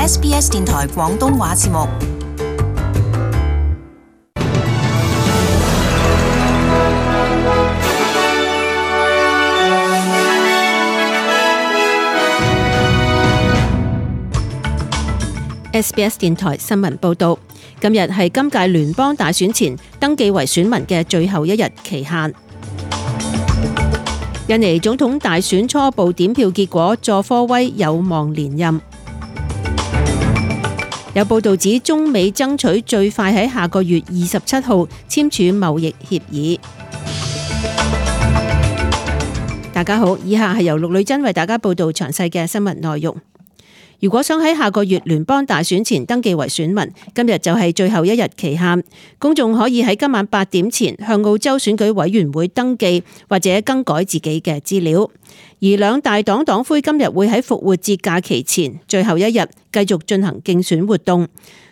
SBS 電台廣東話節目。SBS 電台新聞報道，今日係今屆聯邦大選前登記為選民嘅最後一日期限。印尼總統大選初步點票結果，佐科威有望連任。有報道指中美爭取最快喺下個月27號簽署貿易協議。大家好，以下係由陸女真為大家報道詳細嘅新聞內容。如果想喺下個月聯邦大選前登記為選民，今日就係最後一日期限。公眾可以喺今晚8點前向澳洲選舉委員會登記或者更改自己嘅資料。而兩大黨黨魁今日會喺復活節假期前最後一日繼續進行競選活動。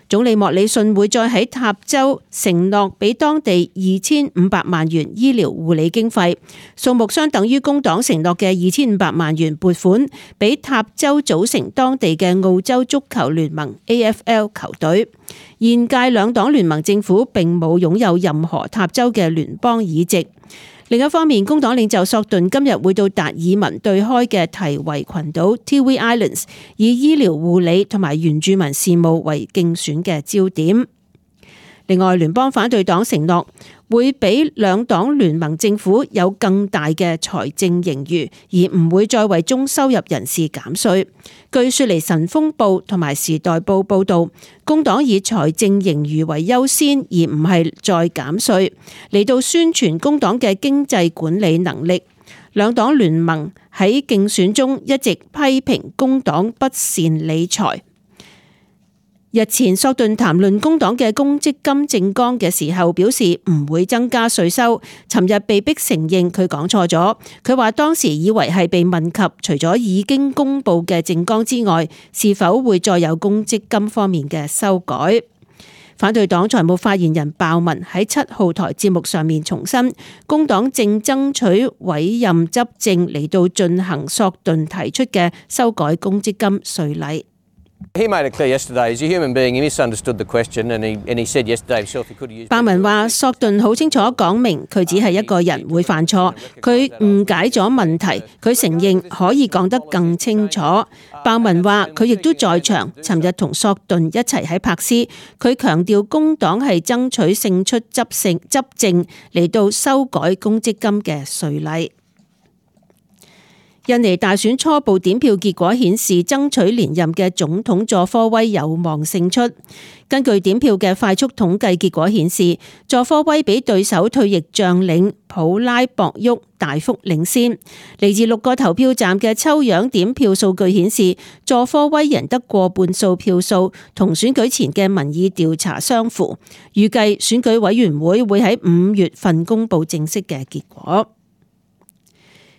總理莫里遜會再喺塔州承諾俾當地2500萬元醫療護理經費，數目相等於工黨承諾嘅2500萬元撥款俾塔州組成當地嘅澳洲足球聯盟 AFL 球隊。現屆兩黨聯盟政府並冇擁有任何塔州嘅聯邦議席。另一方面，工黨領袖索頓今日會到達爾文對開嘅提維群島 Tiwi Islands， 以醫療護理同埋原住民事務為競選嘅焦點。另外，聯邦反對黨承諾會俾兩黨聯盟政府有更大嘅財政盈餘，而唔會再為中收入人士減稅。據雪梨晨鋒報同埋時代報報道，工黨以財政盈餘為優先，而唔係再減稅，嚟到宣傳工黨嘅經濟管理能力。兩黨聯盟喺競選中一直批評工黨不善理財。日前索頓談論工黨嘅公積金政綱嘅時候，表示唔會增加稅收。尋日被迫承認佢講錯咗，佢話當時以為係被問及除咗已經公布嘅政綱之外，是否會再有公積金方面嘅修改。反對黨財務發言人鮑文喺7號台節目上面重申，工黨正爭取委任執政嚟到進行索頓提出嘅修改公積金稅例。He made it clear yesterday, as a human being, he misunderstood the question and he said yesterday himself he could use... 鮑文話索頓好清楚講明佢只係一個人會犯錯，佢誤解咗問題，佢承認可以講得更清楚。鮑文話佢亦都在場，尋日同索頓一齊喺柏斯，佢強調工黨係爭取勝出執政嚟到修改公積金嘅稅例。印尼大選初步點票結果顯示，爭取連任嘅總統佐科威有望勝出。根據點票嘅快速統計結果顯示，佐科威比對手退役將領普拉博沃大幅領先。嚟自6個投票站嘅抽樣點票數據顯示，佐科威贏得過半數票數，同選舉前嘅民意調查相符。預計選舉委員會會喺5月份公布正式嘅結果。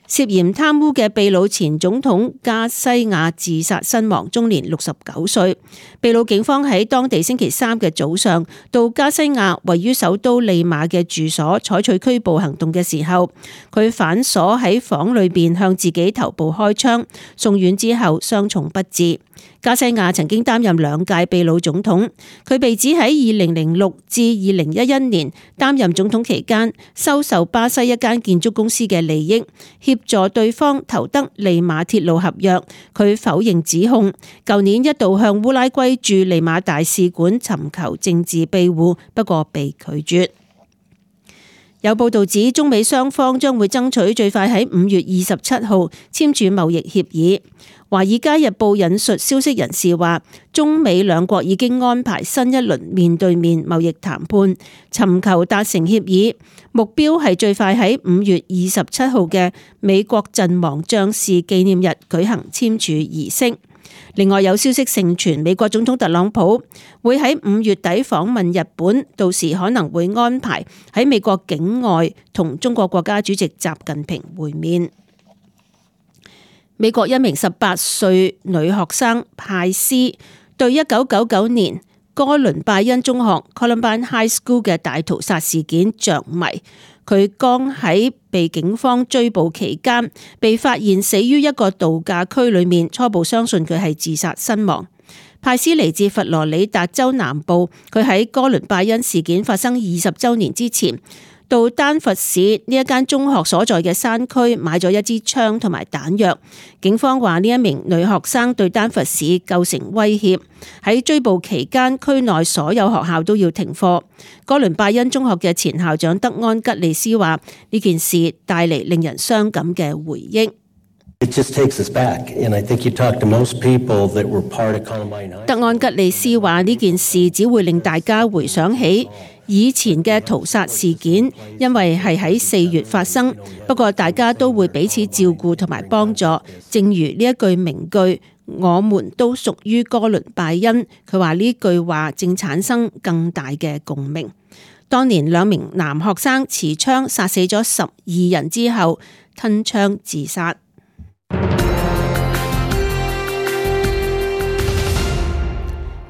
涉嫌貪污嘅秘魯前總統加西亞自殺身亡，終年69歲。秘魯警方喺當地星期3嘅早上到加西亞位於首都利馬嘅住所採取拘捕行動嘅時候，佢反鎖喺房裏邊向自己頭部開槍，送院之後傷重不治。加西亞曾經擔任2屆秘魯總統，佢被指喺2006至2011年擔任總統期間收受巴西一間建築公司嘅利益，協助對方投得利馬鐵路合約。佢否認指控，舊年一度向烏拉圭駐利馬大使館尋求政治庇護，不過被拒絕。有報道指中美雙方將會爭取最快喺5月27號簽署貿易協議。華爾街日報引述消息人士話，中美兩國已經安排新一輪面對面貿易談判，尋求達成協議，目標係最快喺5月27號嘅美國陣亡將士紀念日舉行簽署儀式。另外有消息盛傳，美國總統特朗普會喺5月底訪問日本，到時可能會安排喺美國境外同中國國家主席習近平會面。美國一名18歲女學生派斯對1999年哥倫拜恩中學 Columbine High School 嘅大屠殺事件着迷。佢剛喺被警方追捕期間被發現死於一個度假區裏面，初步相信佢係自殺身亡。派斯嚟自佛羅里達州南部，佢喺哥倫拜恩事件發生20週年之前，到丹佛市呢一間中學所在嘅山區買咗一支槍同埋彈藥。警方話呢一名女學生對丹佛市構成威脅。喺追捕期間，區內所有學校都要停課。哥倫拜恩中學嘅前校長德安吉利斯話：呢件事帶嚟令人傷感嘅回憶。德安吉利斯話：呢件事只會令大家回想起以前嘅屠殺事件，因為係喺4月發生。不過大家都會彼此照顧同埋幫助，正如呢一句名句：我們都屬於哥倫拜恩。佢話呢句話正產生更大嘅共鳴。當年2名男學生持槍殺死咗12人之後，吞槍自殺。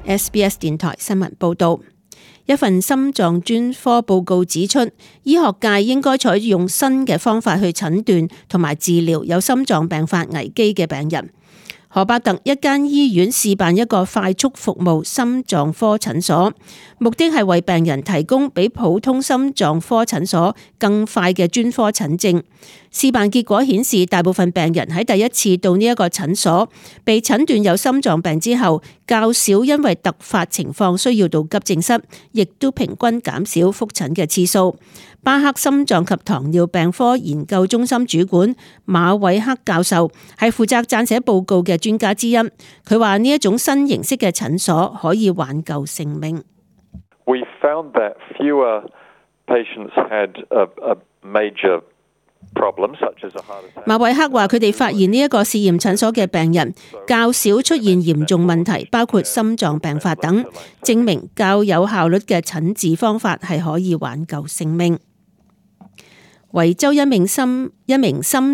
SBS 電台新聞報道，一份心臟專科報告指出，醫學界應該採用新嘅方法去診斷同埋治療有心臟病發危機嘅病人。荷伯特一間醫院試辦一個快速服務心臟科診所，目的係為病人提供比普通心臟科診所更快嘅專科診症。試辦結果顯示，大部分病人喺第一次到呢一個診所被診斷有心臟病之後，較少因為突發情況需要到急症室，亦都平均減少覆診嘅次數。巴克心臟及糖尿病科研究中心主管馬偉克教授係負責撰寫報告嘅專家之一。佢話呢一種新形式嘅診所可以挽救性命。We found that fewer patients had a major problem, such as a heart attack. 馬偉克話：佢哋發現呢一個試驗診所嘅病人較少出現嚴重問題，包括心臟病發等，證明較有效率嘅診治方法係可以挽救性命。維州一名心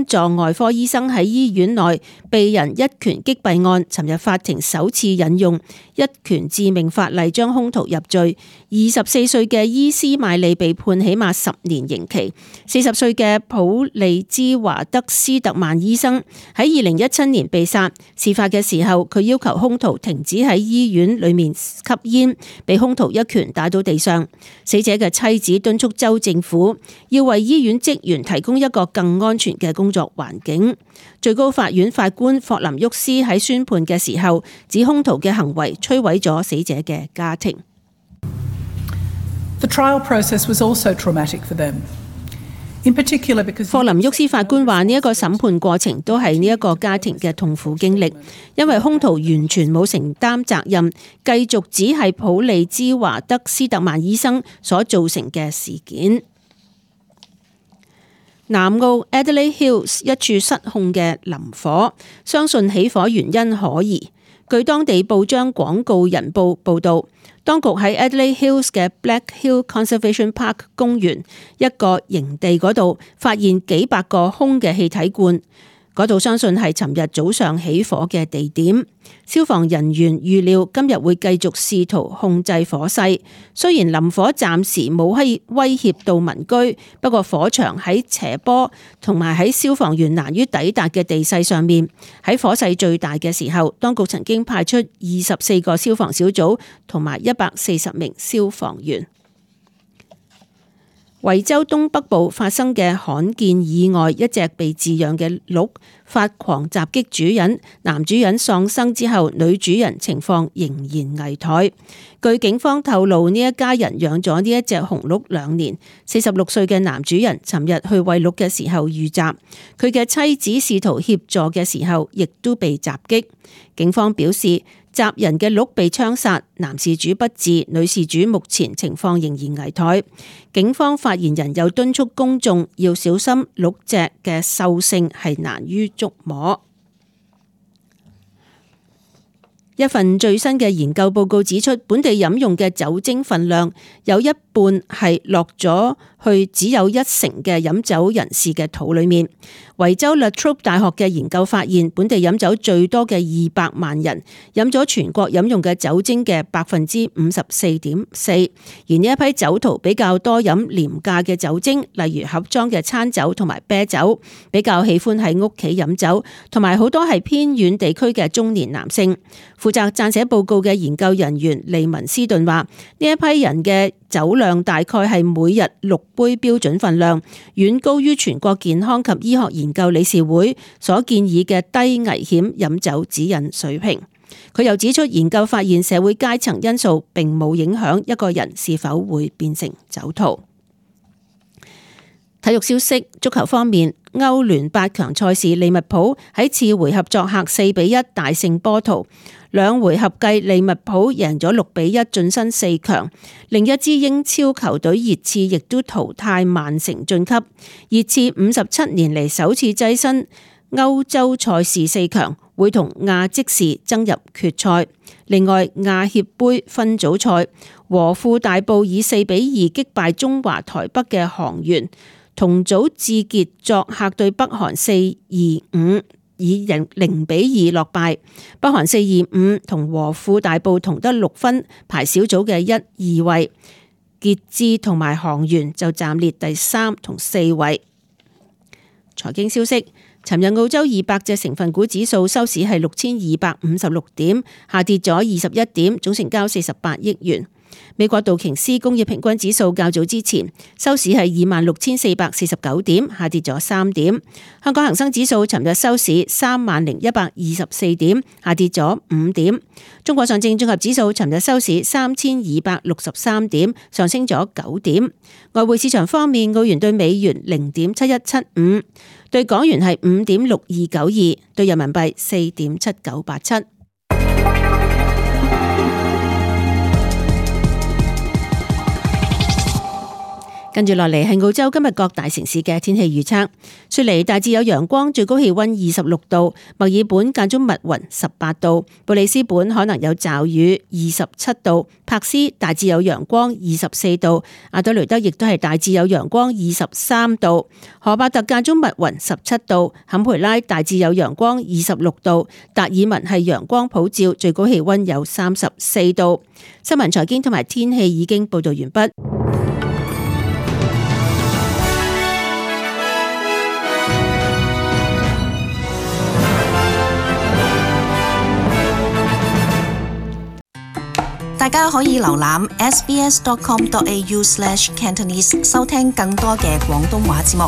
臟外科醫生喺醫院內被人一拳擊斃案，尋日法庭首次引用一拳致命法例將兇徒入罪。24歲嘅伊斯邁利被判起碼10年刑期。40歲嘅普利茲華德斯特曼醫生喺2017年被殺。事發嘅時候，佢要求兇徒停止喺醫院裏面吸煙，被兇徒一拳打到地上。死者嘅妻子敦促州政府要為醫院職員提供一個更安全嘅工作環境。最高法院法官霍林沃斯喺宣判嘅時候指，兇徒嘅行為摧毀咗死者嘅家庭。The trial process was also traumatic for them. In particular, because 霍林沃斯法官話：呢一個審判過程都係呢一個家庭嘅痛苦經歷，因為兇徒完全冇承擔責任，繼續只係普利茲華德斯特曼醫生所造成嘅事件。南澳 Adelaide Hills 一處失控嘅林火，相信起火原因可疑。據當地報章廣告人報報導，當局喺 Adelaide Hills 嘅 Black Hill Conservation Park 公園一個營地嗰度發現幾百個空嘅氣體罐，嗰度相信係尋日早上起火嘅地點。消防人員預料今日會繼續試圖控制火勢，雖然林火暫時冇威脅到民居，不過火場喺斜坡同埋喺消防員難於抵達嘅地勢上面。喺火勢最大嘅時候，當局曾經派出24個消防小組同埋140名消防員。維州東北部發生嘅罕見意外，一隻被飼養嘅鹿發狂襲擊主人，男主人喪生之後，女主人情況仍然危殆。據警方透露，呢一家人養咗呢一隻紅鹿2年。46歲嘅男主人尋日去餵鹿嘅時候遇襲，佢嘅妻子試圖協助嘅時候，亦都被襲擊。警方表示，襲人嘅鹿被槍殺，男事主不治，女事主目前情況仍然危殆。警方發言人又敦促公眾要小心鹿隻嘅獸性係難於捉摸。一份最新嘅研究報告指出，本地飲用嘅酒精分量有1半係落咗去只有1成嘅飲酒人士嘅肚裏面。維州 La Trobe 大學嘅研究發現，本地飲酒最多嘅200萬人飲咗全國飲用嘅酒精嘅 54.4%， 而呢一批酒徒比較多飲廉價嘅酒精，例如盒裝嘅餐酒同埋啤酒，比較喜歡喺屋企飲酒，同埋好多係偏遠地區嘅中年男性。負責撰寫報告嘅研究人員利文斯頓話：呢一批人嘅酒量大概係每日6杯標準份量，遠高於全國健康及醫學研究理事會所建議嘅低危險飲酒指引水平。佢又指出，研究發現社會階層因素並冇影響一個人是否會變成酒徒。體育消息，足球方面，歐聯8強賽事，利物浦喺次回合作客4-1大勝波圖，2回合計利物浦贏咗6-1晉身4強。另一支英超球隊熱刺亦都淘汰曼城晉級，熱刺57年嚟首次躋身歐洲賽事4強，會同亞積士爭入決賽。另外，亞協盃分組賽，和富大埔以4-2擊敗中華台北嘅航員。同組志傑作客對北韓4-5，以0-2落敗。北韓4-5同和富大埔同得6分，排小組嘅1、2位。傑志同埋航員就暫列第3同4位。財經消息，尋日澳洲200隻成分股指數收市係6256點，下跌咗21點，總成交48億元。美國道瓊斯工業平均指數較早之前收市係26,449點，下跌咗3點。香港恒生指數尋日收市30,124點，下跌咗5點。中國上證綜合指數尋日收市3263點，上升咗9點。外匯市場方面，澳元對美元0.7175，對港元係5.6292，對人民幣4.7987。跟住落嚟係澳洲今日各大城市嘅天氣預測。雪梨大致有陽光，最高氣溫26度；墨爾本間中密雲18度；布里斯本可能有驟雨27度；柏斯大致有陽光24度；阿德雷德亦都係大致有陽光23度；荷伯特間中密雲17度；坎培拉大致有陽光26度；達爾文係陽光普照，最高氣溫有34度。新聞財經同埋天氣已經報道完畢。大家可以瀏覽 sbs.com.au/cantonese 收聽更多嘅廣東話節目。